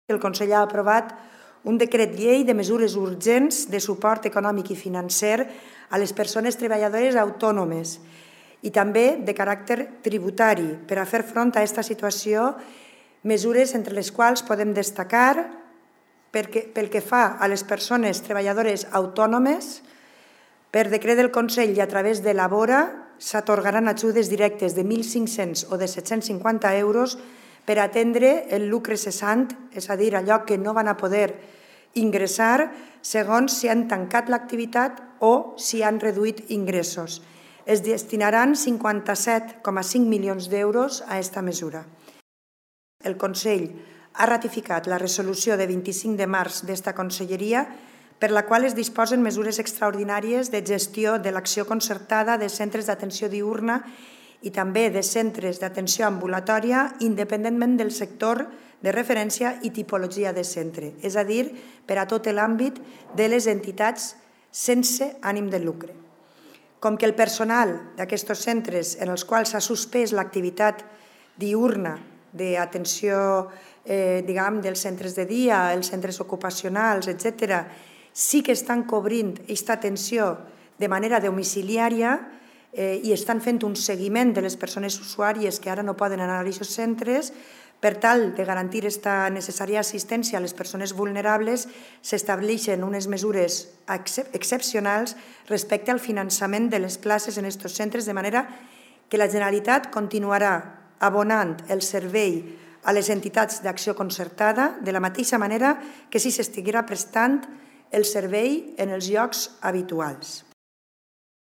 El Consell ha aprovat un decret llei de mesures urgents de suport econòmic i financer a les persones treballadores autònomes i també de caràcter tributari per a fer front a aquesta situació, mesures entre les quals podem destacar pel que fa a les persones treballadores autònomes. Per decret del Consell i a través de la Bora s'atorgaran ajudes directes de 1.500 o de 750 euros per atendre el lucre cessant, és a dir, allò que no van a poder ingressar segons si han tancat l'activitat o si han reduït ingressos. Es destinaran 57,5 milions d'euros a aquesta mesura. El Consell ha ratificat la resolució de 25 de març d'esta Conselleria per la qual es disposen mesures extraordinàries de gestió de l'acció concertada de centres d'atenció diürna i també de centres d'atenció ambulatòria independentment del sector de referència i tipologia de centre, és a dir, per a tot l'àmbit de les entitats sense ànim de lucre. Com que el personal d'aquests centres en els quals s'ha suspès l'activitat diürna d'atenció dels centres de dia, els centres ocupacionals, etc., sí que estan cobrint aquesta atenció de manera domiciliària i estan fent un seguiment de les persones usuàries que ara no poden anar a aquests centres. Per tal de garantir aquesta necessària assistència a les persones vulnerables, s'estableixen unes mesures excepcionals respecte al finançament de les places en aquests centres, de manera que la Generalitat continuarà abonant el servei a les entitats d'acció concertada de la mateixa manera que si s'estiguera prestant el servei en els llocs habituals.